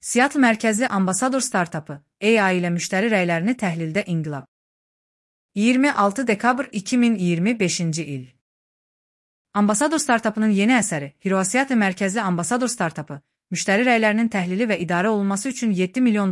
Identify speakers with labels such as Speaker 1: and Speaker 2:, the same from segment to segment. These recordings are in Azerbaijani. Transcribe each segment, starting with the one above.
Speaker 1: Seattle mərkəzli Ambassador startapı AI ilə müştəri rəylərini təhlildə inqilab. 26 dekabr 2025-ci il. Ambassador startapının yeni əsəri Seattle mərkəzli Ambassador startapı müştəri rəylərinin təhlili və idarə olunması üçün $7 milyon,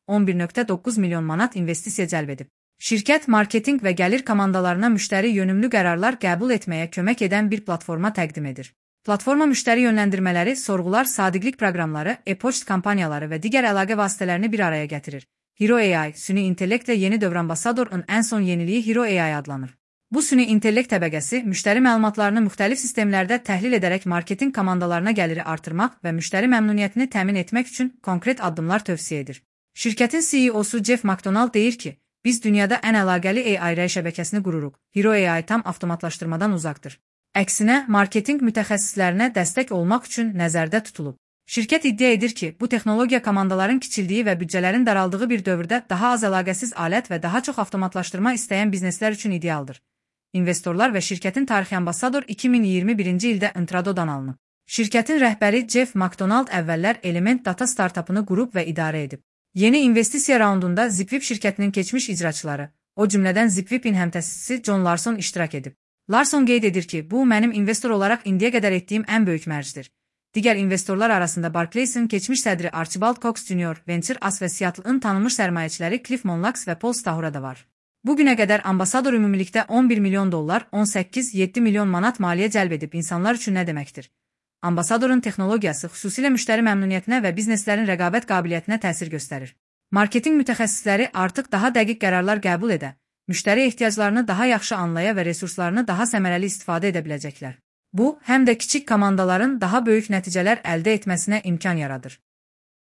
Speaker 1: 11,9 milyon manat investisiya cəlb edib. Şirkət marketinq və gəlir komandalarına müştəri yönümlü qərarlar qəbul etməyə kömək edən bir platforma təqdim edir. Platforma müştəri yönləndirmələri, sorğular, sadiqlik proqramları, e-poçt kampaniyaları və digər əlaqə vasitələrini bir araya gətirir. Hero AI, süni intellektlə yeni dövr Ambassador'un ən son yeniliyi Hero AI adlanır. Bu süni intellekt təbəqəsi müştəri məlumatlarını müxtəlif sistemlərdə təhlil edərək marketinq komandalarına gəliri artırmaq və müştəri məmnuniyyətini təmin etmək üçün konkret addımlar tövsiyə edir. Şirkətin CEO-su Jeff McDonald deyir ki, biz dünyada ən əlaqəli AI rəy şəbəkəsini qururuq. Hero AI tam avtomatlaşdırmadan uzaqdır. Əksinə, marketinq mütəxəssislərinə dəstək olmaq üçün nəzərdə tutulub. Şirkət iddia edir ki, bu texnologiya komandaların kiçildiyi və büdcələrin daraldığı bir dövrdə daha az əlaqəsiz alət və daha çox avtomatlaşdırma istəyən bizneslər üçün idealdır. İnvestorlar və şirkətin tarixi Ambassador 2021-ci ildə intradodan alınıb. Şirkətin rəhbəri Jeff McDonald əvvəllər Element Data startapını qurub və idarə edib. Yeni investisiya raundunda Zipwhip şirkətinin keçmiş icraçıları, o cümlədən Zipwhipin həmtəsisçisi John Larson iştirak edib. Larson qeyd edir ki, bu mənim investor olaraq indiyə qədər etdiyim ən böyük mərcdir. Digər investorlar arasında Barclays'in keçmiş sədri Archibald Cox Jr., Venture As və Seattle'ın tanınmış sərmayəçiləri Cliff Monlax və Paul Stahura da var. Bugünə qədər Ambassador ümumilikdə $11 milyon, 18,7 milyon manat maliyyə cəlb edib. İnsanlar üçün nə deməkdir? Ambassador'un texnologiyası xüsusilə müştəri məmnuniyyətinə və bizneslərin rəqabət qabiliyyətinə təsir göstərir. Marketinq mütəxəssisləri artıq daha dəqiq qərarlar qəbul edə, müştəri ehtiyaclarını daha yaxşı anlaya və resurslarını daha səmərəli istifadə edə biləcəklər. Bu, həm də kiçik komandaların daha böyük nəticələr əldə etməsinə imkan yaradır.